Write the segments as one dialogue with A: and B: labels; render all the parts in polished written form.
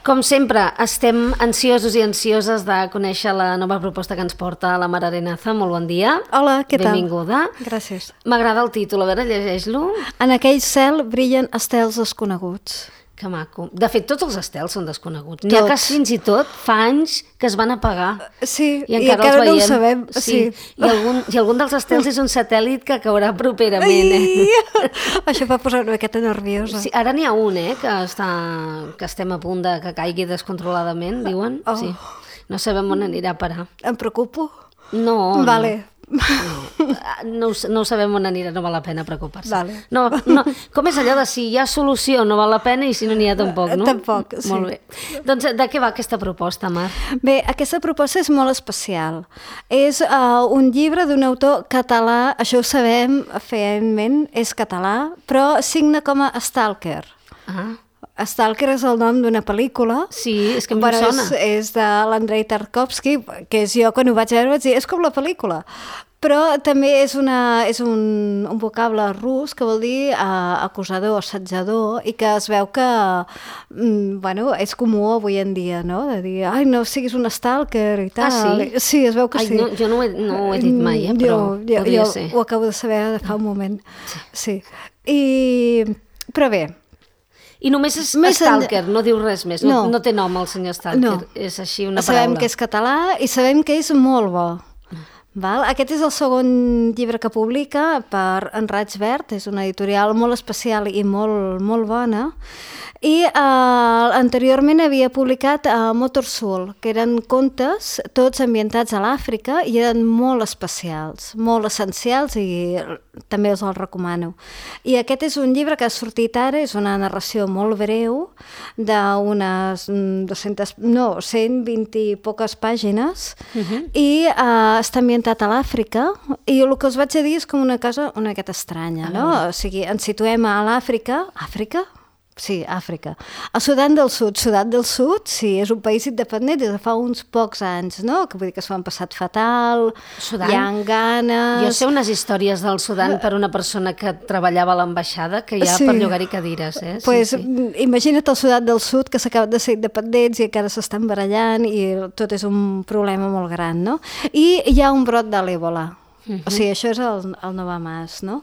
A: Com sempre, estem ansiosos i ansioses de conèixer la nova proposta que ens porta la Mar Arenaza. Molt bon dia.
B: Hola, què tal?
A: Benvinguda.
B: Gràcies.
A: M'agrada el títol, a veure, llegeix-lo.
B: En aquell cel brillen estels desconeguts.
A: Que maco. De fet, tots els estels són desconeguts. N'hi ha que fins i tot fa anys que es van apagar.
B: Sí,
A: i encara
B: no ho sabem.
A: Sí. I algun dels estels és un satèl·lit que caurà properament.
B: Això va posar una miqueta nerviosa.
A: Sí, ara n'hi ha un, que estem a punt de que caigui descontroladament, diuen.
B: Oh.
A: Sí. No sabem on anirà a parar.
B: Em preocupo?
A: No.
B: Vale.
A: No ho sabem on anirà, no val la pena preocupar-se.
B: Vale.
A: No. Com és allò de si hi ha solució no val la pena i si no n'hi ha tampoc, no?
B: Tampoc, sí.
A: Molt bé. Doncs de què va aquesta proposta, Mar?
B: Bé, aquesta proposta és molt especial. És un llibre d'un autor català, això ho sabem feament, és català, però signa com a Stalker. Stalker és el nom d'una pel·lícula.
A: Sí, és que em sona.
B: És de l'Andrei Tarkovsky, que és jo quan ho vaig veure vaig dir, és com la pel·lícula. Però també és un vocable rus que vol dir acusador, assetjador, i que es veu que és comú avui en dia, no? De dir, ai, no siguis un stalker i tal.
A: Sí?
B: Sí, es veu que sí.
A: No, jo no ho he dit mai, però podria ser.
B: Jo ho acabo de saber de fa un moment. Sí. Però bé,
A: i només és Stalker, no diu res més, no té nom el senyor Stalker,
B: no.
A: És així una paraula.
B: Sabem que és català i sabem que és molt bo. Val? Aquest és el segon llibre que publica per Enraig Verd, és una editorial molt especial i molt bona, i anteriorment havia publicat Motor Soul, que eren contes tots ambientats a l'Àfrica i eren molt especials, molt essencials i també els recomano. I aquest és un llibre que ha sortit ara, és una narració molt breu d'unes 120 i poques pàgines i està ambientat a l'Àfrica i el que us vaig a dir és com una cosa una miqueta estranya, no? O sigui, ens situem a l'Àfrica. Àfrica? Sí, Àfrica. A Sudan del Sud. Sudan del Sud, sí, és un país independent des de fa uns pocs anys, no? Que vull dir que s'ho han passat fatal,
A: Sudan?
B: Hi ha ganes...
A: Jo sé unes històries del Sudan per una persona que treballava a l'ambaixada que hi ha per llogar-hi cadires, eh?
B: Pues, imagina't el Sudan del Sud que s'acaben de ser independents i encara s'estan barallant i tot és un problema molt gran, no? I hi ha un brot de l'Ebola. O sigui, això és el no va més, no?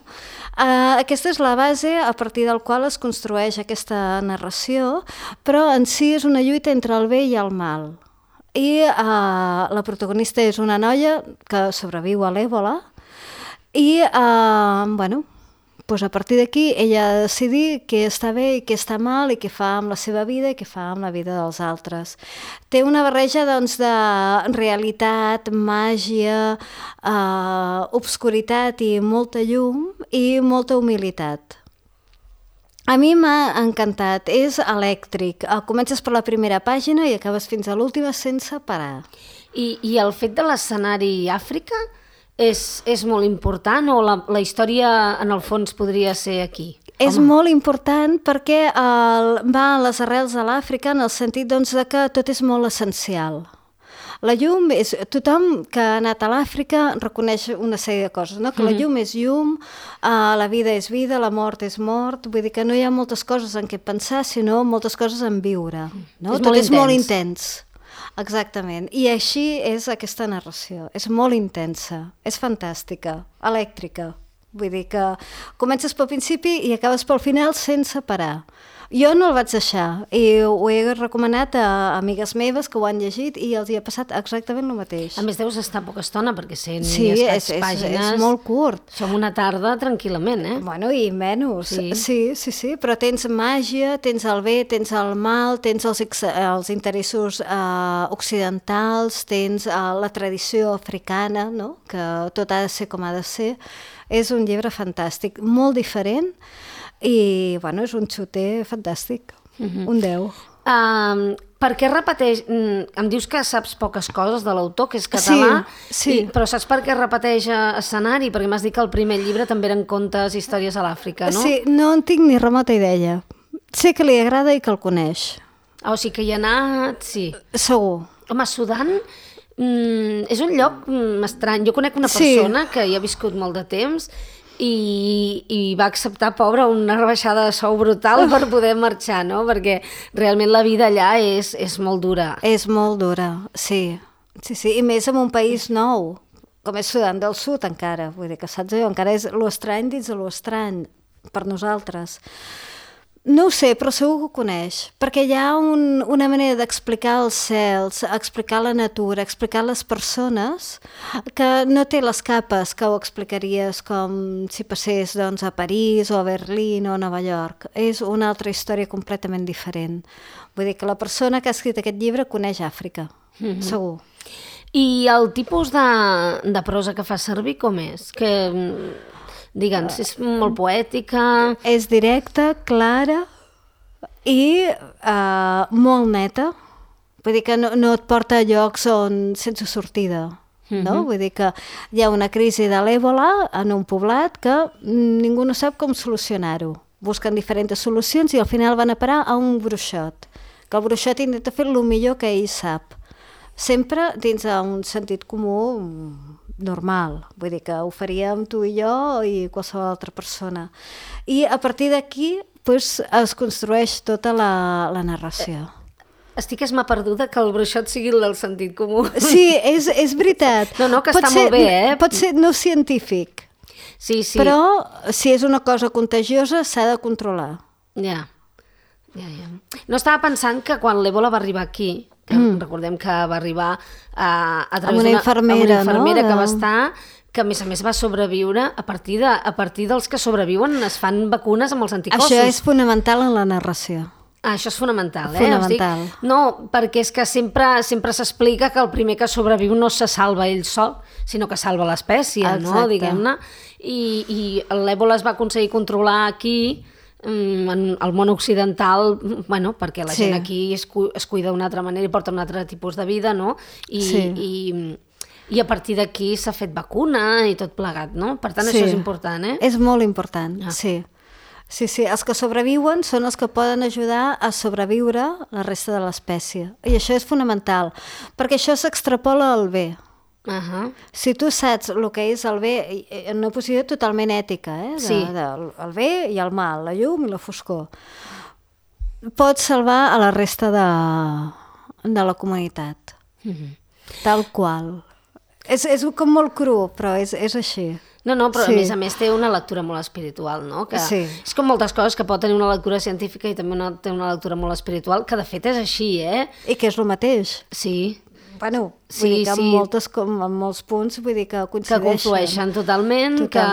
B: Aquesta és la base a partir del qual es construeix aquesta narració, però en si és una lluita entre el bé i el mal. I la protagonista és una noia que sobreviu a l'Ebola i, doncs a partir d'aquí ella ha de decidir què està bé i què està mal i què fa amb la seva vida i què fa amb la vida dels altres. Té una barreja doncs, de realitat, màgia, obscuritat i molta llum i molta humilitat. A mi m'ha encantat, és elèctric. Comences per la primera pàgina i acabes fins a l'última sense parar.
A: I el fet de l'escenari Àfrica és molt important o la història en el fons podria ser aquí?
B: És molt important perquè va a les arrels de l'Àfrica en el sentit doncs, de que tot és molt essencial. La llum és... Tothom que ha anat a l'Àfrica reconeix una sèrie de coses, no? Que la llum és llum, la vida és vida, la mort és mort, vull dir que no hi ha moltes coses en què pensar, sinó moltes coses en viure. No? Tot és molt intens. Exactament. I així és aquesta narració. És molt intensa, és fantàstica, elèctrica. Vull dir que comences pel principi i acabes pel final sense parar. Jo no el vaig deixar i ho he recomanat a amigues meves que ho han llegit i els hi ha passat exactament el mateix.
A: A més, deus estar poca estona perquè 100
B: sí,
A: i escaig pàgines...
B: és molt curt.
A: Som una tarda tranquil·lament, eh?
B: Bueno, i menys. Sí, però tens màgia, tens el bé, tens el mal, tens els interessos occidentals, tens la tradició africana, no? Que tot ha de ser com ha de ser. És un llibre fantàstic, molt diferent, i és un xuter fantàstic, un 10.
A: Per què repeteix... Em dius que saps poques coses de l'autor, que és català,
B: sí.
A: Però saps per què repeteix escenari? Perquè m'has dit que el primer llibre també eren contes, històries a l'Àfrica, no?
B: Sí, no en tinc ni remota idea. Sé que li agrada i que el coneix.
A: O sigui que hi ha anat, sí.
B: Segur.
A: Home, Sudan és un lloc estrany. Jo conec una persona que hi ha viscut molt de temps i va acceptar, pobra, una rebaixada de sou brutal per poder marxar, no? Perquè realment la vida allà és molt dura.
B: És molt dura, sí. Sí, i més en un país nou, com és Sudan del Sud encara, vull dir que saps allò, encara és l'estrany dins de l'estrany per nosaltres. No ho sé, però segur que ho coneix, perquè hi ha una manera d'explicar els cels, explicar la natura, explicar les persones, que no té les capes que ho explicaries com si passés doncs, a París o a Berlín o a Nova York. És una altra història completament diferent. Vull dir que la persona que ha escrit aquest llibre coneix Àfrica, segur.
A: I el tipus de prosa que fa servir com és? Que... Digue'ns, és molt poètica...
B: És directa, clara i molt neta. Vull dir que no et porta a llocs sense sortida. No? Vull dir que hi ha una crisi de l'èbola en un poblat que ningú no sap com solucionar-ho. Busquen diferents solucions i al final van a parar a un bruixot. Que el bruixot intenta fer el millor que ell sap. Sempre dins d'un sentit comú normal, vull dir que ho faríem tu i jo i qualsevol altra persona. I a partir d'aquí doncs, es construeix tota la narració.
A: Estic perduda que el bruixot sigui el del sentit comú.
B: Sí, és veritat.
A: No, que està molt bé, eh?
B: Pot ser no científic,
A: sí.
B: Però si és una cosa contagiosa s'ha de controlar.
A: Ja. No estava pensant que quan l'Ebola va arribar aquí, que recordem que va arribar a través
B: d'una infermera,
A: que va estar, que a més va sobreviure, a partir dels que sobreviuen es fan vacunes amb els anticossos.
B: Això és fonamental en la narració.
A: Això és fonamental,
B: Fonamental.
A: No, perquè és que sempre s'explica que el primer que sobreviu no se salva ell sol, sinó que salva l'espècie, no? Diguem-ne. I l'Ebola es va aconseguir controlar aquí, en el món occidental, perquè la gent aquí es cuida d'una altra manera i porta un altre tipus de vida, no? I a partir d'aquí s'ha fet vacuna i tot plegat, no? Per tant, això és important, eh?
B: És molt important, sí. Sí, els que sobreviuen són els que poden ajudar a sobreviure la resta de l'espècie. I això és fonamental, perquè això s'extrapola al bé. Si tu saps el que és el bé en una posició totalment ètica, el bé i el mal, la llum i la foscor, pots salvar a la resta de la comunitat, tal qual. És com molt cru, però és així.
A: No, però a més té una lectura molt espiritual, no? Que és com moltes coses que pot tenir una lectura científica i també té una lectura molt espiritual, que de fet és així, eh?
B: I que és el mateix.
A: Sí.
B: Bueno, vull dir que en molts punts vull dir que coincideixen.
A: Que conflueixen totalment, que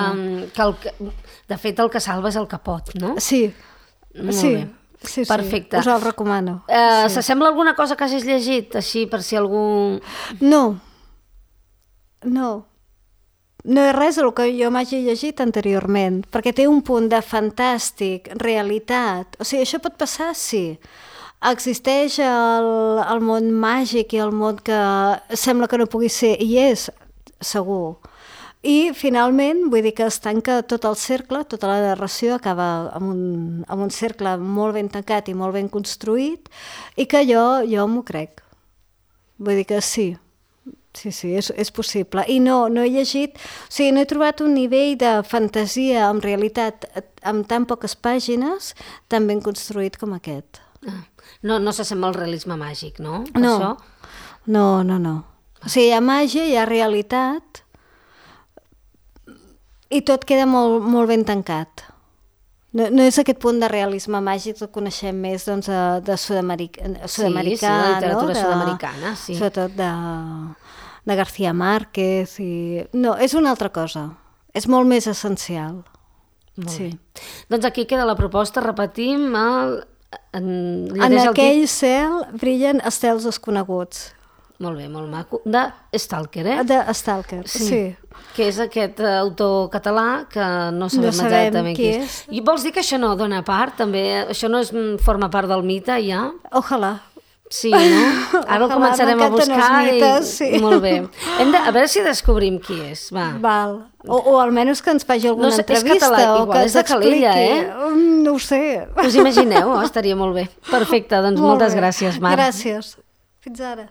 A: de fet el que salva és el que pot, no?
B: Sí.
A: Molt bé.
B: Sí.
A: Perfecte.
B: Us el recomano.
A: S'assembla alguna cosa que hagis llegit, així, per si algú...
B: No és res del que jo m'hagi llegit anteriorment, perquè té un punt de fantàstic, realitat. O sigui, això pot passar, sí. Existeix el món màgic i el món que sembla que no pugui ser, i és, segur. I finalment, vull dir que es tanca tot el cercle, tota la narració acaba amb un cercle molt ben tancat i molt ben construït, i que jo m'ho crec. Vull dir que sí. Sí, és possible. I no he llegit, o sigui, no he trobat un nivell de fantasia amb realitat amb tan poques pàgines tan ben construït com aquest.
A: No s'assembla al realisme màgic, no?
B: No. O sigui, hi ha màgia, hi ha realitat i tot queda molt, molt ben tancat. No és aquest punt de realisme màgic que coneixem més doncs, de sud-americà,
A: sí, de literatura sud-americana, sí.
B: Sobretot de García Márquez. No, és una altra cosa. És molt més essencial.
A: Molt bé. Doncs aquí queda la proposta, repetim.
B: En aquell cel brillen estels desconeguts.
A: Molt bé, molt maco. De Stalker, eh?
B: De Stalker, sí.
A: Que és aquest autor català que no sabem exactament qui és. I vols dir que això no dona part, també? Això no forma part del mite, ja?
B: Ojalà.
A: Sí, no? Ara el començarem a buscar
B: mites, sí.
A: Molt bé. A veure si descobrim qui és, va.
B: Val. O almenys que ens faci alguna entrevista.
A: És català, igual és de Calella,
B: No ho sé.
A: Us imagineu? Estaria molt bé. Perfecte, doncs moltes gràcies, Mar.
B: Gràcies. Fins ara.